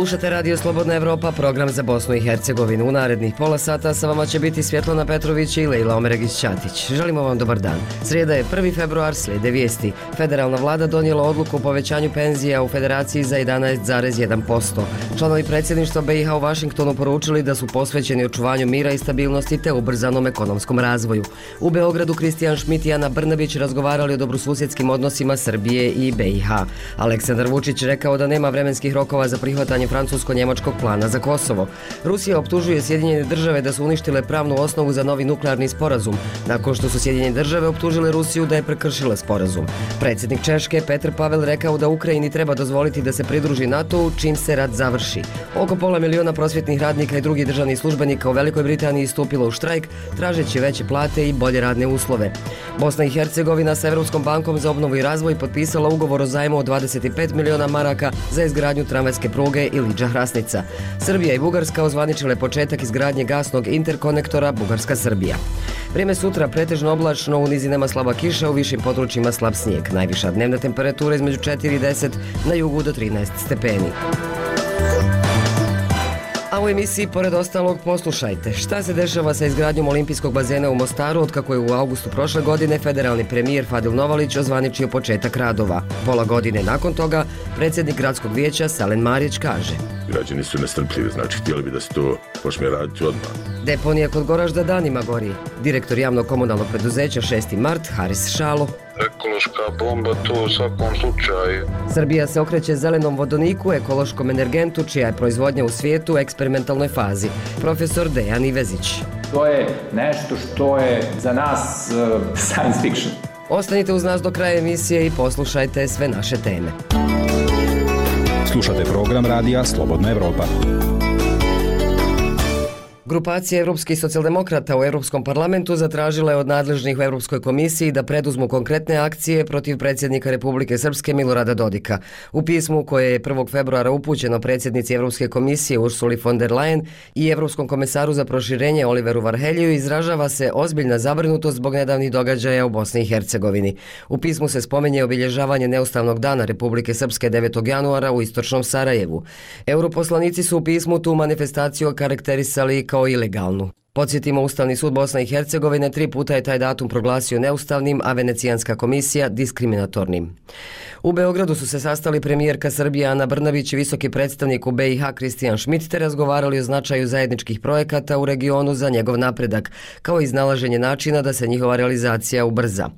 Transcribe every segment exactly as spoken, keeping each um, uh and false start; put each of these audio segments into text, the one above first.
Slušate Radio Slobodna Evropa, program za Bosnu i Hercegovinu. U narednih pola sata sa vama će biti Svjetlana Petrović i Lejla Omeregić-Ćatić. Želimo vam dobar dan. Srijeda je prvi februar, slijede vijesti. Federalna vlada donijela odluku o povećanju penzija u Federaciji za jedanaest zarez jedan posto. Članovi predsjedništva B i H u Vašingtonu poručili da su posvećeni očuvanju mira i stabilnosti te ubrzanom ekonomskom razvoju. U Beogradu Kristijan Šmit i Ana Brnabić razgovarali o dobrosusjedskim odnosima Srbije i B i H. Aleksandar Vučić rekao da nema vremenskih rokova za prihvatanje francusko-njemačkog plana za Kosovo. Rusija optužuje Sjedinjene države da su uništile pravnu osnovu za novi nuklearni sporazum, nakon što su Sjedinjene države optužile Rusiju da je prekršila sporazum. Predsjednik Češke Petr Pavel rekao da Ukrajini treba dozvoliti da se pridruži NATO-u čim se rat završi. Oko pola miliona prosvjetnih radnika i drugih državnih službenika u Velikoj Britaniji stupilo u štrajk, tražeći veće plate i bolje radne uslove. Bosna i Hercegovina sa Europskom bankom za obnovu i razvoj potpisala ugovor o zajmu od dvadeset pet miliona maraka za izgradnju tramvajske pruge Iliđa-Hrasnica. Srbija i Bugarska ozvaničile početak izgradnje gasnog interkonektora Bugarska-Srbija. Vrijeme sutra pretežno oblačno, u nizinama slaba kiša, u višim područjima slab snijeg. Najviša dnevna temperatura između četiri i deset, na jugu do trinaest stepeni. A u emisiji, pored ostalog, poslušajte šta se dešava sa izgradnjom olimpijskog bazena u Mostaru otkako je u augustu prošle godine federalni premijer Fadil Novalić ozvaničio početak radova. Pola godine nakon toga predsjednik gradskog vijeća Salen Marić kaže: Građani su nestrpljivi, znači htjeli bi da se to počne raditi odmah. Deponija kod Goražda danima gori. Direktor javnog komunalnog preduzeća šesti mart Haris Šalo. Ekološka bomba to u svakom slučaju. Srbija se okreće zelenom vodoniku, ekološkom energentu, čija je proizvodnja u svijetu u eksperimentalnoj fazi. Profesor Dejan Ivezić. To je nešto što je za nas uh, science fiction. Ostanite uz nas do kraja emisije i poslušajte sve naše teme. Slušate program radija Slobodna Evropa. Grupacija evropskih socijaldemokrata u Europskom parlamentu zatražila je od nadležnih u Europskoj komisiji da preduzmu konkretne akcije protiv predsjednika Republike Srpske Milorada Dodika. U pismu koje je prvog februara upućeno predsjednici Europske komisije Ursuli von der Leyen i Europskom komesaru za proširenje Oliveru Varheljiju izražava se ozbiljna zabrinutost zbog nedavnih događaja u Bosni i Hercegovini. U pismu se spominje obilježavanje neustavnog dana Republike Srpske devetog januara u istočnom Sarajevu. Europoslanici su u pismu tu manifestaciju okarakterisali kao ilegalnu. Podsjetimo, Ustavni sud Bosne i Hercegovine tri puta je taj datum proglasio neustavnim, a Venecijanska komisija diskriminatornim. U Beogradu su se sastali premijerka Srbije Ana Brnabić i visoki predstavnik u B i H Kristijan Šmit te razgovarali o značaju zajedničkih projekata u regionu za njegov napredak, kao i iznalaženje načina da se njihova realizacija ubrza.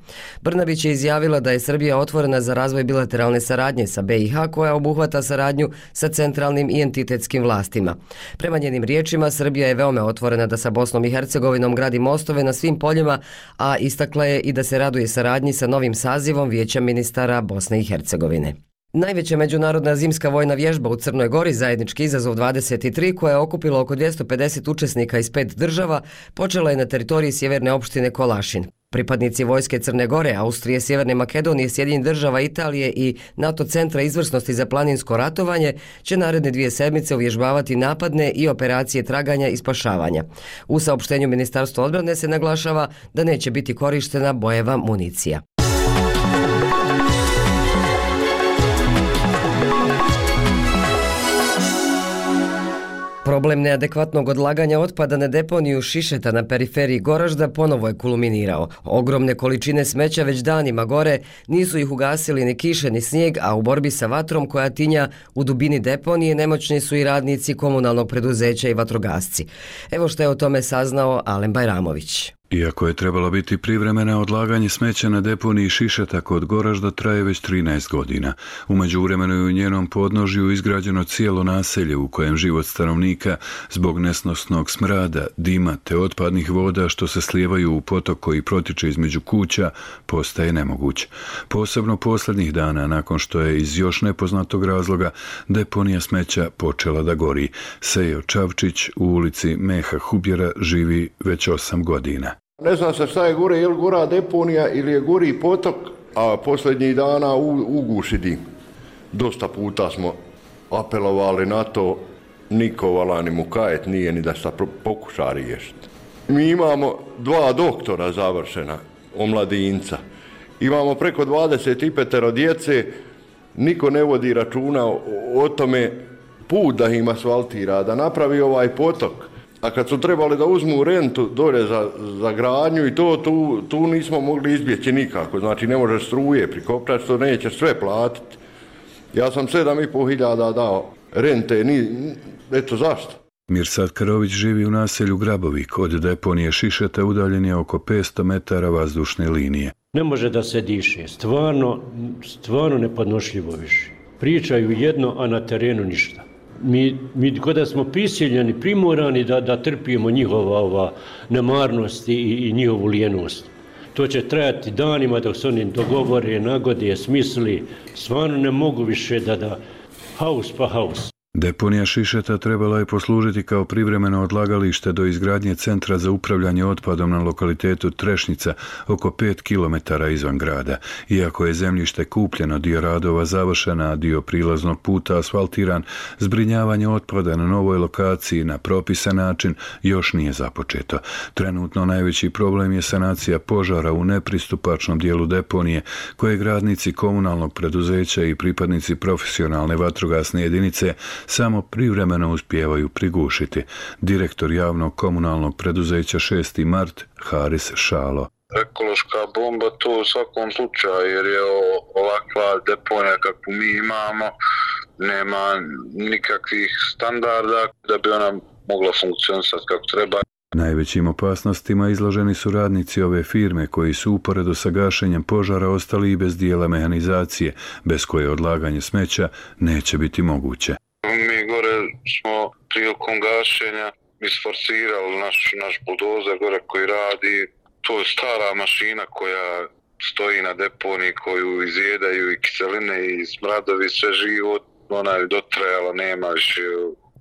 Brnabić je izjavila da je Srbija otvorena za razvoj bilateralne saradnje sa B i H koja obuhvata saradnju sa centralnim i entitetskim vlastima. Prema njenim riječima, Srbija je veoma otvorena da sa Bosnom i Hercegovinom gradi mostove na svim poljima, a istakla je i da se raduje saradnji sa novim sazivom Vijeća ministara Bosne i Hercegovine. Najveća međunarodna zimska vojna vježba u Crnoj Gori, zajednički izazov dvadeset tri, koja je okupila oko dvjesto pedeset učesnika iz pet država, počela je na teritoriji sjeverne opštine Kolašin. Pripadnici vojske Crne Gore, Austrije, Sjeverne Makedonije, Sjedinjenih država, Italije i NATO centra izvrsnosti za planinsko ratovanje će naredne dvije sedmice uvježbavati napadne i operacije traganja i spašavanja. U saopštenju Ministarstva odbrane se naglašava da neće biti korištena bojeva municija. Problem neadekvatnog odlaganja otpada na deponiju Šišeta na periferiji Goražda ponovo je kulminirao. Ogromne količine smeća već danima gore, nisu ih ugasili ni kiše ni snijeg, a u borbi sa vatrom koja tinja u dubini deponije nemoćni su i radnici komunalnog preduzeća i vatrogasci. Evo što je o tome saznao Alen Bajramović. Iako je trebalo biti privremeno odlaganje smeća na deponiji Šišeta kod Goražda traje već trinaest godina. U međuvremenu je u njenom podnožju izgrađeno cijelo naselje u kojem život stanovnika zbog nesnosnog smrada, dima te otpadnih voda što se slijevaju u potok koji protiče između kuća postaje nemoguć. Posebno posljednjih dana nakon što je iz još nepoznatog razloga deponija smeća počela da gori. Sejo Čavčić u ulici Meha Hubjera živi već osam godina. Ne zna se šta je gore, je li gora deponija ili je gori potok, a posljednjih dana uguši dim. Dosta puta smo apelovali na to, niko vala ni mu kajet nije ni da se pokuša riješiti. Mi imamo dva doktora završena, omladinca. Imamo preko dvadeset pet djece, niko ne vodi računa o, o tome put da im asfaltira, da napravi ovaj potok. A kad su trebali da uzmu rentu dolje za, za gradnju i to, tu, tu nismo mogli izbjeći nikako. Znači ne možeš struje prikopčati, što nećeš sve platiti. Ja sam sedam i pol hiljada dao rente, ni, eto zašto. Mirsad Karović živi u naselju Grabovik, od deponije Šišeta udaljen je oko petsto metara vazdušne linije. Ne može da se diše, stvarno, stvarno nepodnošljivo više. Pričaju jedno, a na terenu ništa. Mi, mi kada smo prisiljeni, primorani da, da trpimo njihova ova nemarnost i, i njihovu lijenost. To će trajati danima dok se oni dogovore, nagode, smisli. Stvarno ne mogu više da da haus pa haus. Deponija Šišeta trebala je poslužiti kao privremeno odlagalište do izgradnje centra za upravljanje otpadom na lokalitetu Trešnica oko pet kilometara izvan grada. Iako je zemljište kupljeno, dio radova završena, a dio prilaznog puta asfaltiran, zbrinjavanje otpada na novoj lokaciji na propisan način još nije započeto. Trenutno najveći problem je sanacija požara u nepristupačnom dijelu deponije, koje radnici komunalnog preduzeća i pripadnici profesionalne vatrogasne jedinice samo privremeno uspijevaju prigušiti. Direktor javnog komunalnog preduzeća šesti mart, Haris Šalo. Ekološka bomba to u svakom slučaju, jer je ovakva deponija kakvu mi imamo, nema nikakvih standarda da bi ona mogla funkcionisati kako treba. Najvećim opasnostima izloženi su radnici ove firme koji su uporedo sa gašenjem požara ostali i bez dijela mehanizacije, bez koje odlaganje smeća neće biti moguće. Mi gore smo prilikom gašenja isforsirali naš, naš buldozer gore koji radi. To je stara mašina koja stoji na deponiji, koju izjedaju i kiseline i smradovi, sve živo. Ona je dotrajala, nema više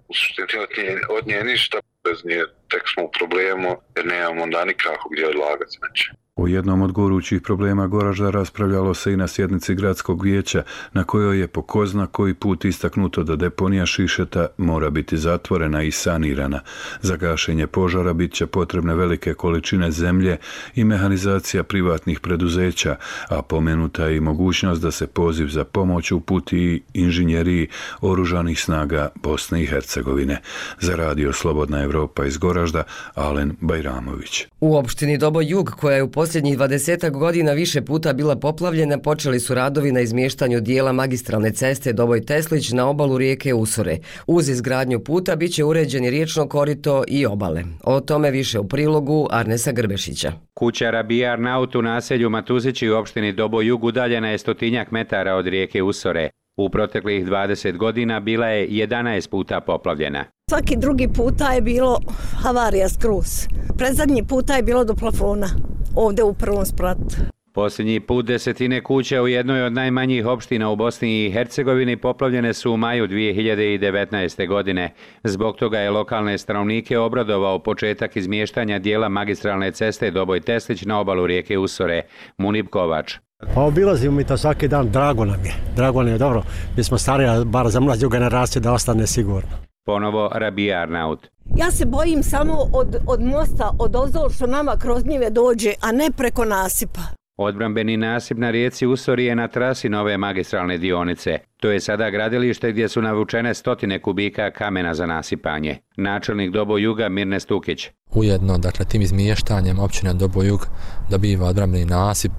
u suštini od nje, od nje ništa. Bez nje tek smo u problemu jer nemamo onda nikako gdje odlagati smeće. O jednom od gorućih problema Goražda raspravljalo se i na sjednici gradskog vijeća, na kojoj je po ko zna koji put istaknuto da deponija Šišeta mora biti zatvorena i sanirana. Za gašenje požara bit će potrebne velike količine zemlje i mehanizacija privatnih preduzeća, a pomenuta je i mogućnost da se poziv za pomoć uputi inženjeriji oružanih snaga Bosne i Hercegovine. Za radio Slobodna Evropa iz Goražda, Alen Bajramović. U opštini Doboj Jug, koja je u posljednjih dvadesetak godina više puta bila poplavljena, počeli su radovi na izmještanju dijela magistralne ceste Doboj-Teslić na obalu rijeke Usore. Uz izgradnju puta bit će uređeni riječno korito i obale. O tome više u prilogu Arnesa Grbešića. Kuća Rabija Arnaut u naselju Matuzići u opštini Doboj Jug udaljena je stotinjak metara od rijeke Usore. U proteklih dvadeset godina bila je jedanaest puta poplavljena. Svaki drugi puta je bilo havarija skroz. Predzadnji puta je bilo do plafona, ovdje u prvom spratu. Posljednji put desetine kuća u jednoj od najmanjih opština u Bosni i Hercegovini poplavljene su u maju dvije hiljade devetnaeste. godine. Zbog toga je lokalne stanovnike obradovao početak izmještanja dijela magistralne ceste Doboj-Teslić na obalu rijeke Usore. Munib Kovač. Pa obilazimo mi to svaki dan, drago nam je. Drago nam je, dobro. Mi smo stariji, bar za mlađu generaciju da ostane sigurno. Ponovo Rabija Arnaut. Ja se bojim samo od, od mosta, od ozol što nama kroz njive dođe, a ne preko nasipa. Odbrambeni nasip na rijeci Usori je na trasi nove magistralne dionice. To je sada gradilište gdje su navučene stotine kubika kamena za nasipanje. Načelnik Doboj Juga Mirne Stukić. Ujedno, dakle, tim izmještanjem općina Doboj Jug dobiva odbrambeni nasip,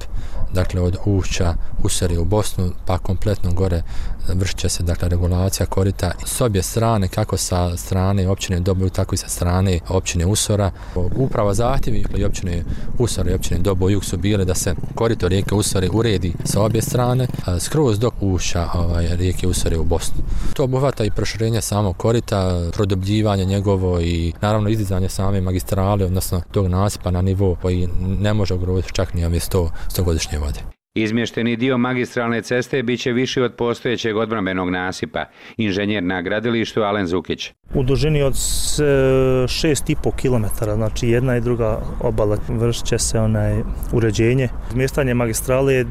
dakle, od ušća Usori u Bosnu, pa kompletno gore vršit će se, dakle, regulacija korita s obje strane, kako sa strane općine Doboj Jug, tako i sa strane općine Usora. Upravo zahtjevi i općine Usora i općine Doboj Jug su bile da se korito rijeke Usori uredi sa obje strane, skroz dok ušća ovaj, rijeke Usore u Bosnu. To obuhvata i proširenje samog korita, produbljivanje njegovo i naravno izdizanje same magistrale, odnosno tog nasipa na nivo koji ne može ugroziti čak ni ove sto godišnje vode. Izmješteni dio magistralne ceste bit će viši od postojećeg odbrambenog nasipa. Inženjer na gradilištu Alen Zukić. U dužini od šest i pol kilometara, znači jedna i druga obala, vršit će se onaj uređenje. Izmještanje magistrale je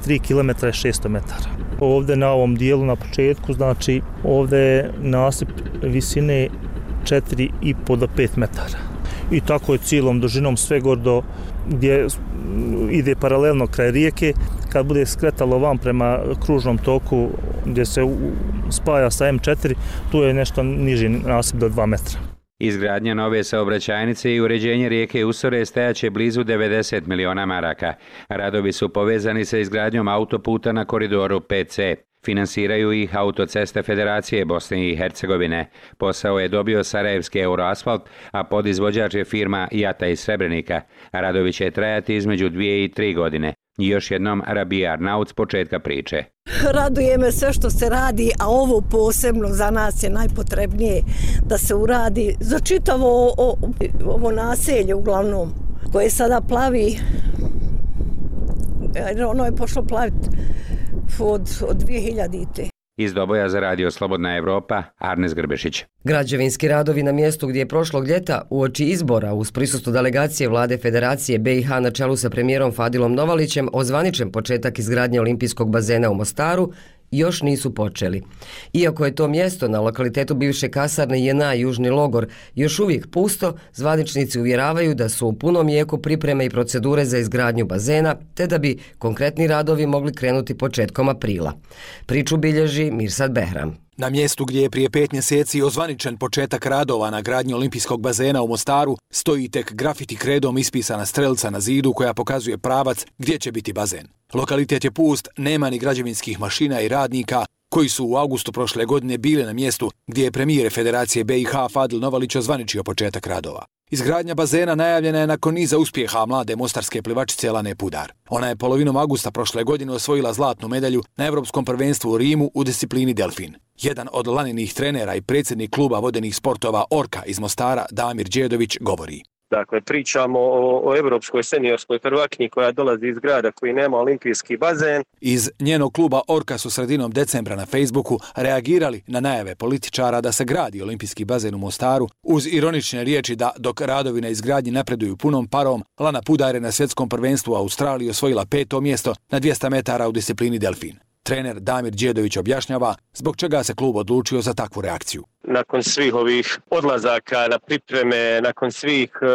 tri kilometra i šesto metara. Ovdje na ovom dijelu na početku, znači ovdje je nasip visine četiri i pol do pet metara. i tako je cijelom dužinom sve gordo gdje ide paralelno kraj rijeke. Kad bude skretalo vam prema kružnom toku gdje se spaja sa em četiri, tu je nešto niži nasip do dva metra. Izgradnja nove saobraćajnice i uređenje rijeke Usore stajaće blizu devedeset miliona maraka. Radovi su povezani sa izgradnjom autoputa na koridoru pet ce. Finansiraju ih Autoceste Federacije Bosne i Hercegovine. Posao je dobio Sarajevski Euroasfalt, a podizvođač je firma Jata iz Srebrenika. Radovi će trajati između dvije i tri godine. I još jednom Rabija Arnaut s početka priče. Raduje me sve što se radi, a ovo posebno za nas je najpotrebnije da se uradi za čitavo o, ovo naselje uglavnom, koje sada plavi, ono je pošlo plaviti od, od dvije hiljadite. Iz Doboja za radio Slobodna Evropa, Arnes Grbešić. Građevinski radovi na mjestu gdje je prošlog ljeta uoči izbora uz prisustvo delegacije vlade Federacije be i ha na čelu sa premijerom Fadilom Novalićem ozvaničen početak izgradnje olimpijskog bazena u Mostaru još nisu počeli. Iako je to mjesto na lokalitetu bivše kasarne je na južni logor još uvijek pusto, zvaničnici uvjeravaju da su u punom jeku pripreme i procedure za izgradnju bazena, te da bi konkretni radovi mogli krenuti početkom aprila. Priču bilježi Mirsad Behram. Na mjestu gdje je prije pet mjeseci ozvaničen početak radova na gradnji olimpijskog bazena u Mostaru, stoji tek grafiti kredom ispisana strelca na zidu koja pokazuje pravac gdje će biti bazen. Lokalitet je pust, nema ni građevinskih mašina i radnika koji su u augustu prošle godine bili na mjestu gdje je premijer Federacije be i ha Fadil Novalić ozvaničio početak radova. Izgradnja bazena najavljena je nakon niza uspjeha mlade mostarske plivačice Lane Pudar. Ona je polovinom augusta prošle godine osvojila zlatnu medalju na Europskom prvenstvu u Rimu u disciplini delfin. Jedan od Laninih trenera i predsjednik kluba vodenih sportova Orka iz Mostara, Damir Đedović, govori. Dakle, pričamo o, o evropskoj seniorskoj prvakinji koja dolazi iz grada koji nema olimpijski bazen. Iz njenog kluba Orka su sredinom decembra na Facebooku reagirali na najave političara da se gradi olimpijski bazen u Mostaru, uz ironične riječi da dok radovi na izgradnji napreduju punom parom, Lana Pudar je na svjetskom prvenstvu u Australiji osvojila peto mjesto na dvjesto metara u disciplini delfin. Trener Damir Đedović objašnjava zbog čega se klub odlučio za takvu reakciju. Nakon svih ovih odlazaka na pripreme, nakon svih e,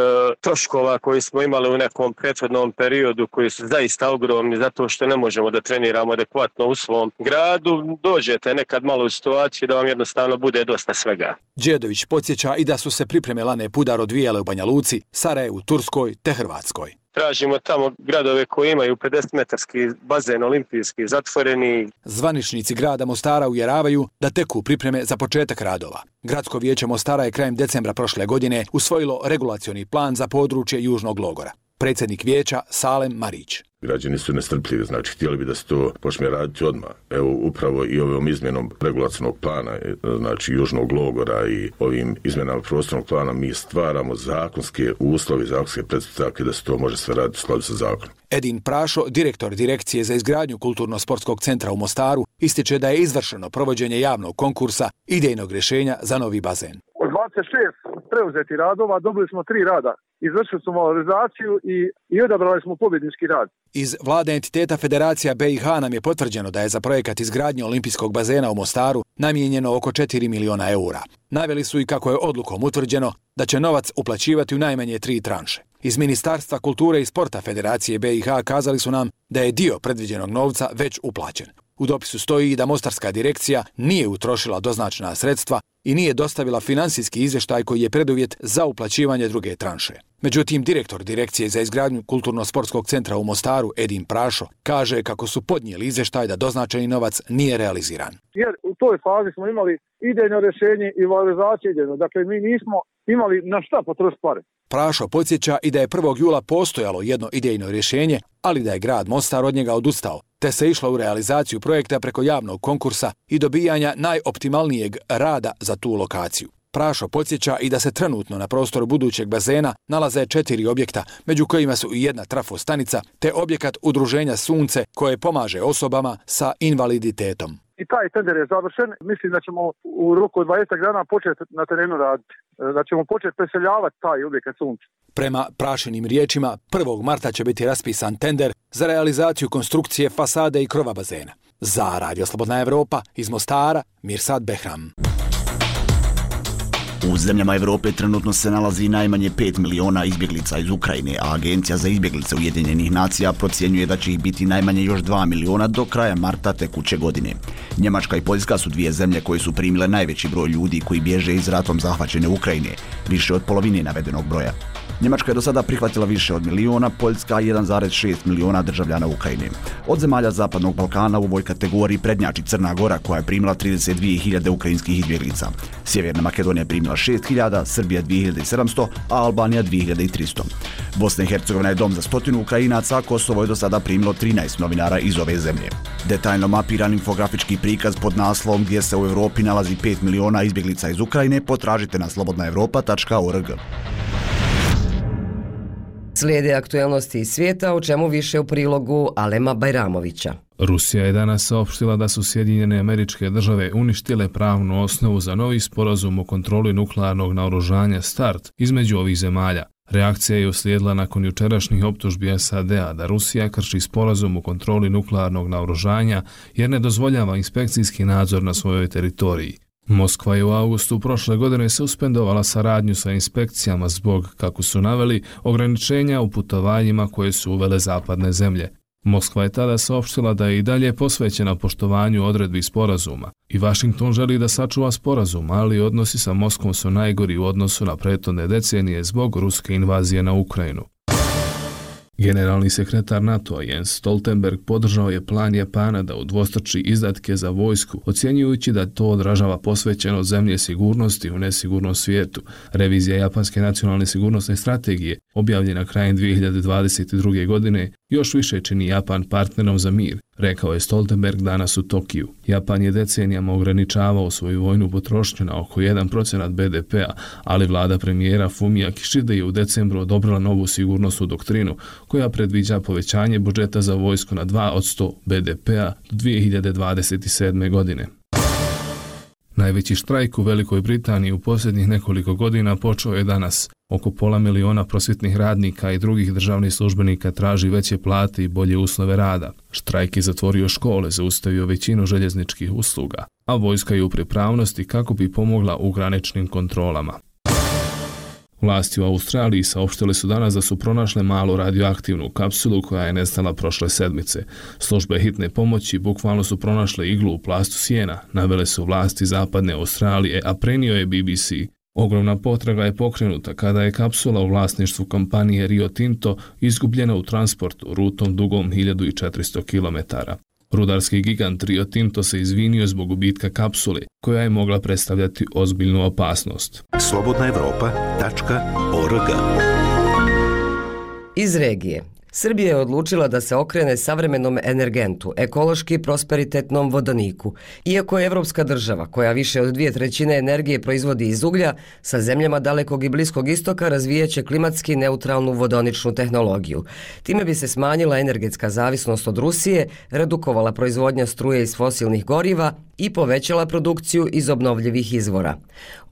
troškova koji smo imali u nekom prethodnom periodu koji su zaista ogromni zato što ne možemo da treniramo adekvatno u svom gradu, dođete nekad malo u situaciju da vam jednostavno bude dosta svega. Đedović podsjeća i da su se pripreme Lane Pudar odvijale u Banja Luci, Sarajevu, Turskoj te Hrvatskoj. Tražimo tamo gradove koji imaju pedeset metarski bazen olimpijski zatvoreni. Zvaničnici grada Mostara uvjeravaju da teku pripreme za početak radova. Gradsko vijeće Mostara je krajem decembra prošle godine usvojilo regulacioni plan za područje Južnog logora. Predsjednik vijeća Salem Marić. Građani su nestrpljivi, znači htjeli bi da se to počne raditi odmah. Evo upravo i ovom izmjenom regulacionog plana, znači Južnog logora i ovim izmjenama prostornog plana mi stvaramo zakonske uslove, zakonske pretpostavke da se to može sve raditi u skladu sa zakonom. Edin Prašo, direktor Direkcije za izgradnju Kulturno-sportskog centra u Mostaru, ističe da je izvršeno provođenje javnog konkursa idejnog rješenja za novi bazen. Od dvadeset šest preuzeti radova dobili smo tri rada. Izvršili smo valorizaciju i, i odabrali smo pobjednički rad. Iz vlade entiteta Federacija be i ha nam je potvrđeno da je za projekat izgradnje olimpijskog bazena u Mostaru namijenjeno oko četiri miliona eura. Naveli su i kako je odlukom utvrđeno da će novac uplaćivati u najmanje tri tranše. Iz Ministarstva kulture i sporta Federacije be i ha kazali su nam da je dio predviđenog novca već uplaćen. U dopisu stoji da Mostarska direkcija nije utrošila doznačena sredstva i nije dostavila finansijski izvještaj koji je preduvjet za uplaćivanje druge tranše. Međutim, direktor Direkcije za izgradnju Kulturno-sportskog centra u Mostaru, Edin Prašo, kaže kako su podnijeli izvještaj da doznačeni novac nije realiziran. Jer u toj fazi smo imali idejno rješenje i valorizaciju idejno. Dakle, mi nismo imali na šta potrošiti pare. Prašo podsjeća i da je prvog jula postojalo jedno idejno rješenje, ali da je grad Mostar od njega odustao, te se išlo u realizaciju projekta preko javnog konkursa i dobijanja najoptimalnijeg rada za tu lokaciju. Prašo podsjeća i da se trenutno na prostoru budućeg bazena nalaze četiri objekta, među kojima su i jedna trafostanica, te objekat udruženja Sunce koje pomaže osobama sa invaliditetom. I taj tender je završen. Mislim da ćemo u roku od dvadeset dana početi na terenu raditi. Da ćemo početi preseljavati taj objekat Sunce. Prema Prašinim riječima, prvog marta će biti raspisan tender za realizaciju konstrukcije fasade i krova bazena. Za Radio Slobodna Evropa iz Mostara, Mirsad Behram. U zemljama Evrope trenutno se nalazi najmanje pet miliona izbjeglica iz Ukrajine, a Agencija za izbjeglice Ujedinjenih nacija procjenjuje da će ih biti najmanje još dva miliona do kraja marta tekuće godine. Njemačka i Poljska su dvije zemlje koje su primile najveći broj ljudi koji bježe iz ratom zahvaćene Ukrajine, više od polovine navedenog broja. Njemačka je do sada prihvatila više od miliona, Poljska jedan zarez šest miliona državljana Ukrajine. Od zemalja Zapadnog Balkana u ovoj kategoriji prednjači Crna Gora koja je primila trideset dvije hiljade ukrajinskih izbjeglica. Sjeverna Makedonija je primila šest hiljada, Srbija dvije hiljade sedamsto, a Albanija dvije hiljade tristo. Bosna i Hercegovina je dom za stotinu Ukrajinaca, a Kosovo je do sada primilo trinaest novinara iz ove zemlje. Detaljno mapiran infografički prikaz pod naslovom gdje se u Europi nalazi pet miliona izbjeglica iz Ukrajine potražite na slobodna europa tačka org. Slijede aktuelnosti iz svijeta, o čemu više u prilogu Alema Bajramovića. Rusija je danas saopštila da su Sjedinjene Američke Države uništile pravnu osnovu za novi sporazum o kontroli nuklearnog naoružanja START između ovih zemalja. Reakcija je uslijedila nakon jučerašnjih optužbi S A D-a da Rusija krši sporazum o kontroli nuklearnog naoružanja jer ne dozvoljava inspekcijski nadzor na svojoj teritoriji. Moskva je u avgustu prošle godine suspendovala saradnju sa inspekcijama zbog, kako su naveli, ograničenja u putovanjima koje su uvele zapadne zemlje. Moskva je tada saopštila da je i dalje posvećena poštovanju odredbi sporazuma i Vašington želi da sačuva sporazum, ali odnosi sa Moskvom su najgori u odnosu na prethodne decenije zbog ruske invazije na Ukrajinu. Generalni sekretar NATO-a Jens Stoltenberg podržao je plan Japana da udvostruči izdatke za vojsku, ocjenjujući da to odražava posvećenost zemlje sigurnosti u nesigurnom svijetu. Revizija japanske nacionalne sigurnosne strategije, objavljena krajem dvije hiljade dvadeset druge. godine, još više čini Japan partnerom za mir, rekao je Stoltenberg danas u Tokiju. Japan je decenijama ograničavao svoju vojnu potrošnju na oko jedan procenat B D P-a, ali vlada premijera Fumija Kishide je u decembru odobrila novu sigurnosnu doktrinu koja predviđa povećanje budžeta za vojsku na dva posto B D P-a do dvije hiljade dvadeset sedme. godine. Najveći štrajk u Velikoj Britaniji u posljednjih nekoliko godina počeo je danas. Oko pola miliona prosvjetnih radnika i drugih državnih službenika traži veće plate i bolje uslove rada. Štrajk je zatvorio škole, zaustavio većinu željezničkih usluga, a vojska je u pripravnosti kako bi pomogla u graničnim kontrolama. Vlasti u Australiji saopštile su danas da su pronašle malu radioaktivnu kapsulu koja je nestala prošle sedmice. Službe hitne pomoći bukvalno su pronašle iglu u plastu sjena, navele su vlasti zapadne Australije, a prenio je B B C. Ogromna potraga je pokrenuta kada je kapsula u vlasništvu kompanije Rio Tinto izgubljena u transportu rutom dugom hiljadu četiristo kilometara. Rudarski gigant Rio Tinto se izvinio zbog gubitka kapsule, koja je mogla predstavljati ozbiljnu opasnost. slobodna europa tačka org. Iz regije. Srbija je odlučila da se okrene savremenom energentu, ekološki prosperitetnom vodoniku. Iako je evropska država, koja više od dvije trećine energije proizvodi iz uglja, sa zemljama dalekog i bliskog istoka razvijeće klimatski neutralnu vodoničnu tehnologiju. Time bi se smanjila energetska zavisnost od Rusije, redukovala proizvodnja struje iz fosilnih goriva i povećala produkciju iz obnovljivih izvora.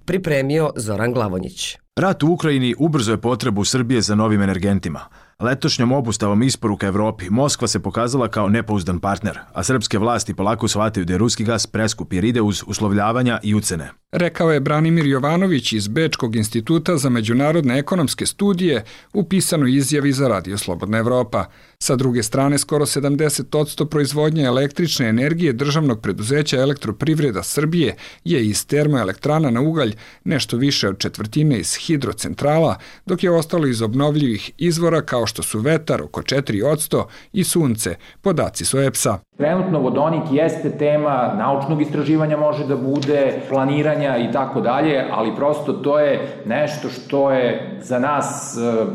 Pripremio Zoran Glavonjić. Rat u Ukrajini ubrzo je potrebu Srbije za novim energentima. Letošnjom obustavom isporuka Evropi Moskva se pokazala kao nepouzdan partner, a srpske vlasti polako shvataju da je ruski gas preskup jer ide uz uslovljavanja i ucene. Rekao je Branimir Jovanović iz Bečkog instituta za međunarodne ekonomske studije u pisanoj izjavi za Radio Slobodna Evropa. Sa druge strane, skoro sedamdeset posto proizvodnje električne energije državnog preduzeća Elektroprivreda Srbije je iz termoelektrana na ugalj, nešto više od četvrtine iz hidrocentrala, dok je ostalo iz obnovljivih izvora kao što su vetar oko četiri posto i sunce, podaci su E P S-a. Trenutno vodonik jeste tema naučnog istraživanja, može da bude planiranja i tako dalje, ali prosto to je nešto što je za nas uh,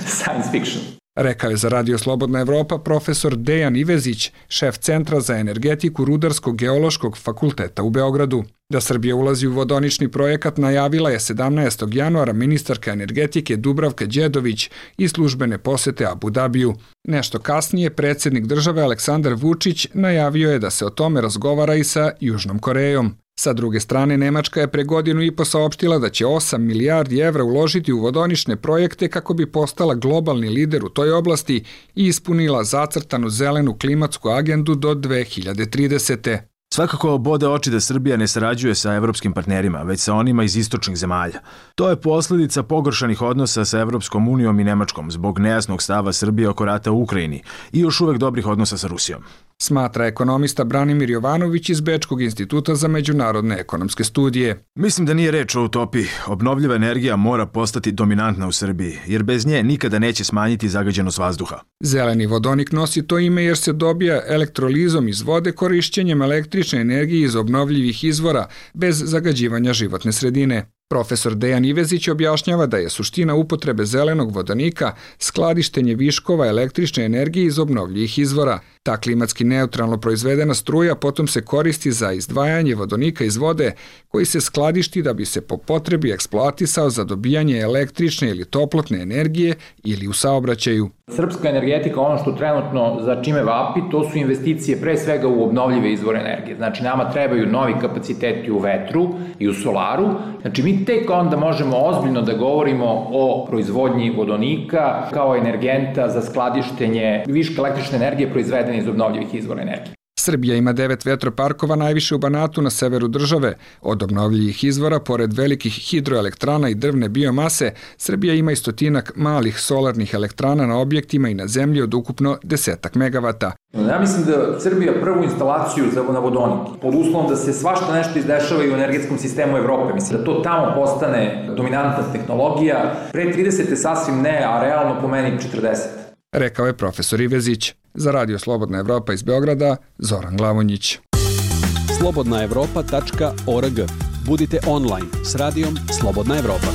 science fiction. Rekao je za Radio Slobodna Evropa profesor Dejan Ivezić, šef Centra za energetiku Rudarsko-geološkog fakulteta u Beogradu. Da Srbija ulazi u vodonični projekat najavila je sedamnaestog januara ministarka energetike Dubravka Đedović i službene posete Abu Dabiju. Nešto kasnije predsjednik države Aleksandar Vučić najavio je da se o tome razgovara i sa Južnom Korejom. Sa druge strane, Nemačka je pre godinu i po saopštila da će osam milijardi evra uložiti u vodonične projekte kako bi postala globalni lider u toj oblasti i ispunila zacrtanu zelenu klimatsku agendu do dve hiljade tridesete. Svakako bode oči da Srbija ne sarađuje sa evropskim partnerima, već sa onima iz istočnih zemalja. To je posljedica pogoršanih odnosa sa Evropskom unijom i Nemačkom zbog nejasnog stava Srbije oko rata u Ukrajini i još uvek dobrih odnosa sa Rusijom. Smatra ekonomista Branimir Jovanović iz Bečkog instituta za međunarodne ekonomske studije. Mislim da nije reč o utopiji. Obnovljiva energija mora postati dominantna u Srbiji, jer bez nje nikada neće smanjiti zagađenost vazduha. Zeleni vodonik nosi to ime jer se dobija elektrolizom iz vode korišćenjem električne energije iz obnovljivih izvora bez zagađivanja životne sredine. Profesor Dejan Ivezić objašnjava da je suština upotrebe zelenog vodonika skladištenje viškova električne energije iz obnovljivih izvora. Ta klimatski neutralno proizvedena struja potom se koristi za izdvajanje vodonika iz vode koji se skladišti da bi se po potrebi eksploatisao za dobijanje električne ili toplotne energije ili u saobraćaju. Srpska energetika, ono što trenutno za čime vapi, to su investicije pre svega u obnovljive izvore energije. Znači nama trebaju novi kapaciteti u vetru i u solaru. Znači mi tek onda možemo ozbiljno da govorimo o proizvodnji vodonika kao energenta za skladištenje viška električne energije proizvedene iz obnovljivih izvora energije. Srbija ima devet vetroparkova, najviše u Banatu na severu države. Od obnovljivih izvora, pored velikih hidroelektrana i drvne biomase, Srbija ima i stotinak malih solarnih elektrana na objektima i na zemlji od ukupno desetak megavata. Ja mislim da Srbija prvu instalaciju na vodonik, pod uslovom da se svašta nešto izdešava i u energetskom sistemu Evrope, mislim da to tamo postane dominantna tehnologija, pre tridesete sasvim ne, a realno po meni četrdesete. Rekao je profesor Ivezić. Za Radio Slobodna Evropa iz Beograda, Zoran Glavonjić. slobodna evropa tačka org. Budite online s radijom Slobodna Evropa.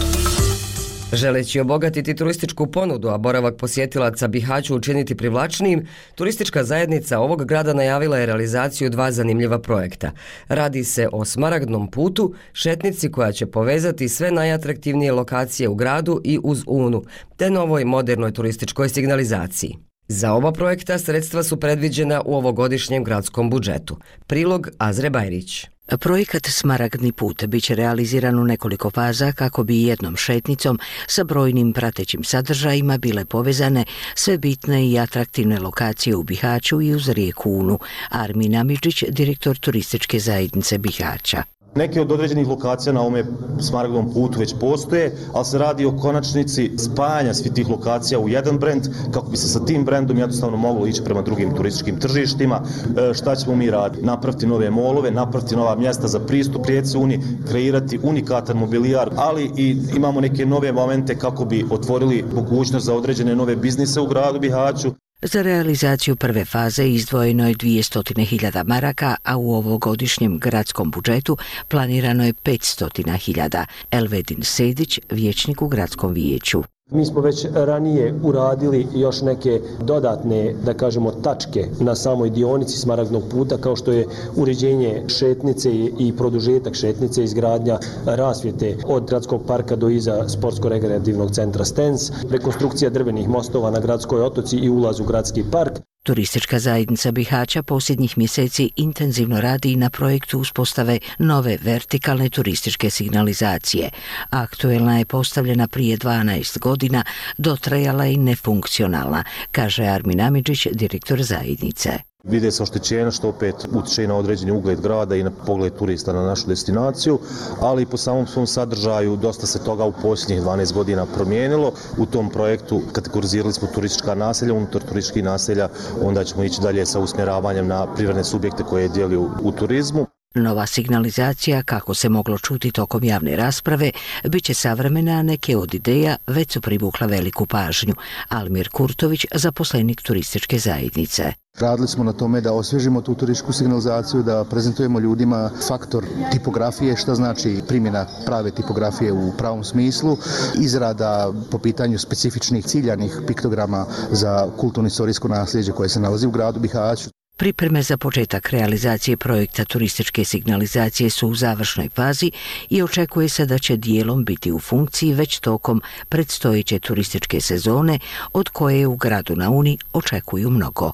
Želeći obogatiti turističku ponudu, a boravak posjetilaca Bihaću učiniti privlačnijim, turistička zajednica ovog grada najavila je realizaciju dva zanimljiva projekta. Radi se o Smaragdnom putu, šetnici koja će povezati sve najatraktivnije lokacije u gradu i uz Unu, te novoj modernoj turističkoj signalizaciji. Za oba projekta sredstva su predviđena u ovogodišnjem gradskom budžetu. Prilog Azre Bajrić. Projekat Smaragdni put biće realiziran u nekoliko faza kako bi jednom šetnicom sa brojnim pratećim sadržajima bile povezane sve bitne i atraktivne lokacije u Bihaću i uz rijeku Unu. Armin Amidžić, direktor turističke zajednice Bihaća. Neke od određenih lokacija na ovome Smaragdnom putu već postoje, ali se radi o konačnici spajanja svih tih lokacija u jedan brend, kako bi se sa tim brendom jednostavno moglo ići prema drugim turističkim tržištima. E, šta ćemo mi raditi? Napraviti nove molove, napraviti nova mjesta za pristup rijeci Uni, kreirati unikatan mobilijar, ali i imamo neke nove momente kako bi otvorili mogućnost za određene nove biznise u gradu Bihaću. Za realizaciju prve faze izdvojeno je dvjesto hiljada maraka, a u ovogodišnjem gradskom budžetu planirano je petsto hiljada. Elvedin Sedić, vijećnik u gradskom vijeću. Mi smo već ranije uradili još neke dodatne, da kažemo, tačke na samoj dionici Smaragdnog puta, kao što je uređenje šetnice i produžetak šetnice, izgradnja rasvjete od gradskog parka do iza sportsko-rekreativnog centra Stens, rekonstrukcija drvenih mostova na gradskoj otoci i ulaz u gradski park. Turistička zajednica Bihaća posljednjih mjeseci intenzivno radi na projektu uspostave nove vertikalne turističke signalizacije. Aktuelna je postavljena prije dvanaest godina, dotrajala i nefunkcionalna, kaže Armin Amidžić, direktor zajednice. Vide se oštećenja što opet utiče na određeni ugled grada i na pogled turista na našu destinaciju, ali i po samom svom sadržaju dosta se toga u posljednjih dvanaest godina promijenilo. U tom projektu kategorizirali smo turistička naselja, unutar turističkih naselja, onda ćemo ići dalje sa usmjeravanjem na privredne subjekte koje djeluju u turizmu. Nova signalizacija, kako se moglo čuti tokom javne rasprave, bit će savremena, a neke od ideja već su privukla veliku pažnju. Almir Kurtović, zaposlenik turističke zajednice. Radili smo na tome da osvježimo tu turističku signalizaciju, da prezentujemo ljudima faktor tipografije, šta znači primjena prave tipografije u pravom smislu, izrada po pitanju specifičnih ciljanih piktograma za kulturno-istorijsko nasljeđe koje se nalazi u gradu Bihaću. Pripreme za početak realizacije projekta turističke signalizacije su u završnoj fazi i očekuje se da će dijelom biti u funkciji već tokom predstojeće turističke sezone, od koje u gradu na Uni očekuju mnogo.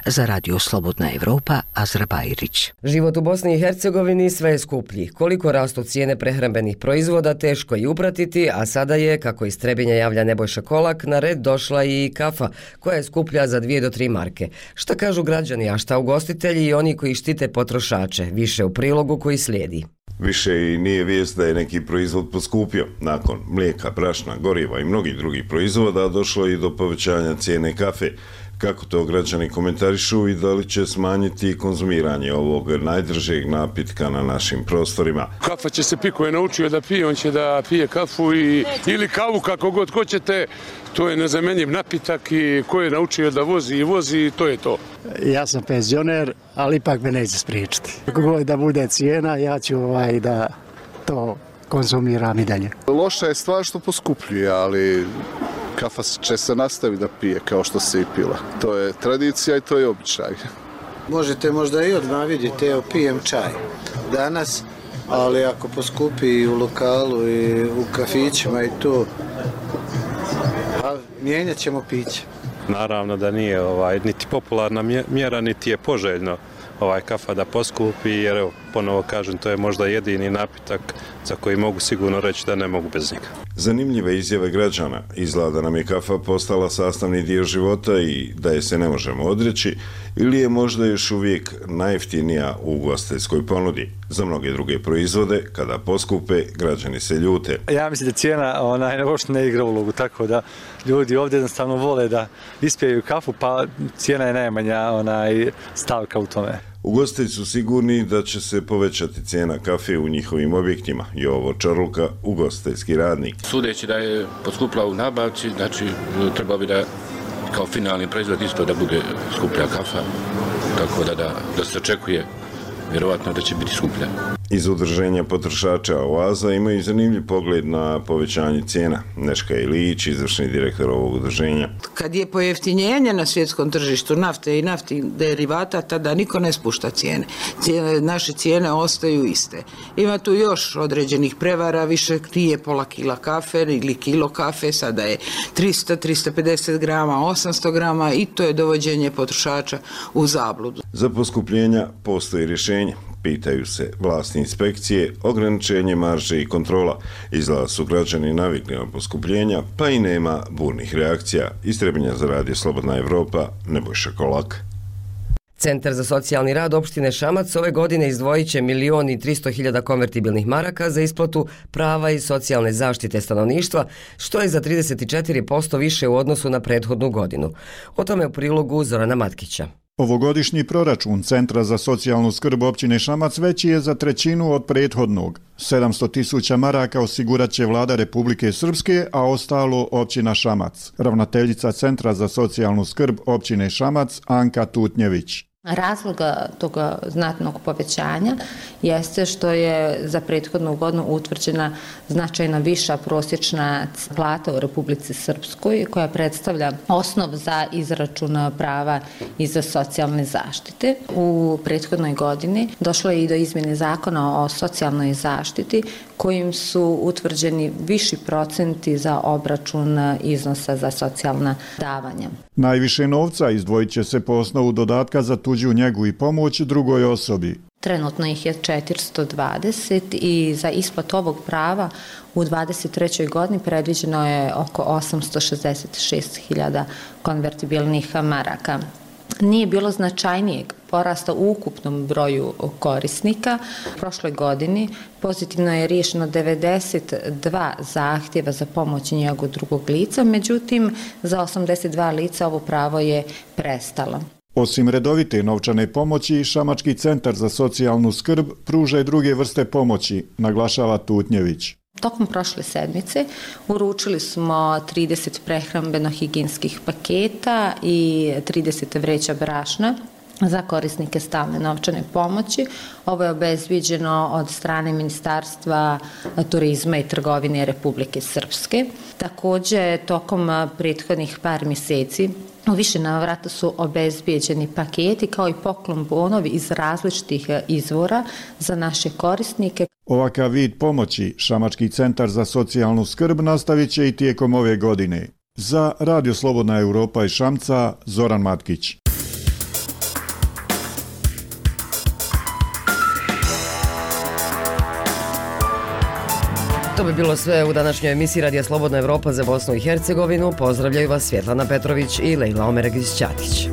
Za Radio Slobodna Evropa, Azra Bajrić. Život u Bosni i Hercegovini sve je skuplji. Koliko rastu cijene prehrambenih proizvoda teško je upratiti, a sada je, kako iz Trebinja javlja Nebojša Kolak, na red došla i kafa, koja je skuplja za dvije do tri marke. Šta kažu građani, a šta šta ugostitelji i oni koji štite potrošače, više u prilogu koji slijedi. Više i nije vijest da je neki proizvod poskupio. Nakon mlijeka, brašna, goriva i mnogih drugih proizvoda došlo i do povećanja cijene kafe. Kako to građani komentarišu i da li će smanjiti konzumiranje ovog najdržeg napitka na našim prostorima? Kafa će se piko je naučio da pije, on će da pije kafu i, ili kavu kako god hoćete. To je nezamenjiv napitak i ko je naučio da vozi i vozi, to je to. Ja sam penzioner, ali ipak me neće spriječiti. Kako god da bude cijena, ja ću ovaj da to konzumiram i dalje. Loša je stvar što poskupljuje, ali kafa će se nastaviti da pije kao što se i pila. To je tradicija i to je običaj. Možete možda i odmah vidjeti, evo pijem čaj danas, ali ako poskupi i u lokalu i u kafićima i to, pa mijenjat ćemo piće. Naravno da nije ovaj, niti popularna mjera, niti je poželjno ovaj kafa da poskupi, jer evo, ponovo kažem, to je možda jedini napitak za koji mogu sigurno reći da ne mogu bez njega. Zanimljive izjave građana. Izgleda da nam je kafa postala sastavni dio života i da je se ne možemo odreći, ili je možda još uvijek najjeftinija u ugostiteljskoj ponudi. Za mnoge druge proizvode, kada poskupe, građani se ljute. Ja mislim da cijena onaj, uopšte ne igra ulogu, tako da ljudi ovdje jednostavno vole da ispijaju kafu, pa cijena je najmanja onaj, stavka u tome. Ugostitelji su sigurni da će se povećati cijena kafe u njihovim objektima. Jovo Čarluka, ugostiteljski radnik. Sudeći da je poskupila u nabavci, znači treba bi da kao finalni proizvod isto da bude skuplja kafa, tako da, da, da se očekuje vjerovatno da će biti skuplja. Iz udruženja potrošača Oaza imaju zanimljiv pogled na povećanje cijena. Neška Ilić, izvršni direktor ovog udruženja. Kad je pojeftinjenje na svjetskom tržištu nafte i naftnih derivata, tada niko ne spušta cijene. cijene. Naše cijene ostaju iste. Ima tu još određenih prevara, više nije pola kila kafe ili kilo kafe, sada je tristo do tristo pedeset grama, osamsto grama i to je dovođenje potrošača u zabludu. Za poskupljenja postoji rješenje. Pitaju se vlasti inspekcije, ograničenje marže i kontrola. Izgleda su građani navikli na poskupljenja, pa i nema burnih reakcija. Iz Trebinja za radio Slobodna Evropa, Nebojša Kolak. Centar za socijalni rad opštine Šamac ove godine izdvojit će milion i tristo hiljada konvertibilnih maraka za isplatu prava i socijalne zaštite stanovništva, što je za trideset četiri posto više u odnosu na prethodnu godinu. O tome u prilogu Zorana Matkića. Ovogodišnji proračun Centra za socijalnu skrb općine Šamac veći je za trećinu od prethodnog. sedamsto tisuća maraka osigurat će vlada Republike Srpske, a ostalo općina Šamac. Ravnateljica Centra za socijalnu skrb općine Šamac Anka Tutnjević. Razloga toga znatnog povećanja jeste što je za prethodnu godinu utvrđena značajna viša prosječna plata u Republici Srpskoj koja predstavlja osnov za izračun prava i za socijalne zaštite. U prethodnoj godini došlo je i do izmjene zakona o socijalnoj zaštiti kojim su utvrđeni viši procenti za obračun iznosa za socijalna davanja. Najviše novca izdvojit će se po osnovu dodatka za tuđu njegu i pomoć drugoj osobi. Trenutno ih je četiristo dvadeset i za isplatu ovog prava u dvadeset trećoj godini predviđeno je oko osamsto šezdeset šest hiljada konvertibilnih maraka. Nije bilo značajnijeg porasta u ukupnom broju korisnika. U prošloj godini pozitivno je riješeno devedeset dva zahtjeva za pomoć i njegu drugog lica, međutim za osamdeset dva lica ovo pravo je prestalo. Osim redovite novčane pomoći, Šamački centar za socijalnu skrb pruža i druge vrste pomoći, naglašava Tutnjević. Tokom prošle sedmice uručili smo trideset prehrambeno-higijenskih paketa i trideset vreća brašna za korisnike stalne novčane pomoći. Ovo je obezviđeno od strane Ministarstva turizma i trgovine Republike Srpske. Također, tokom prethodnih par mjeseci u više navrata su obezbijeđeni paketi kao i poklon bonovi iz različitih izvora za naše korisnike. Ovakav vid pomoći Šamački centar za socijalnu skrb nastavit će i tijekom ove godine. Za Radio Slobodna Evropa iz Šamca, Zoran Matkić. To bi bilo sve u današnjoj emisiji Radija Slobodna Evropa za Bosnu i Hercegovinu. Pozdravljaju vas Svjetlana Petrović i Lejla Omeregić-Ćatić.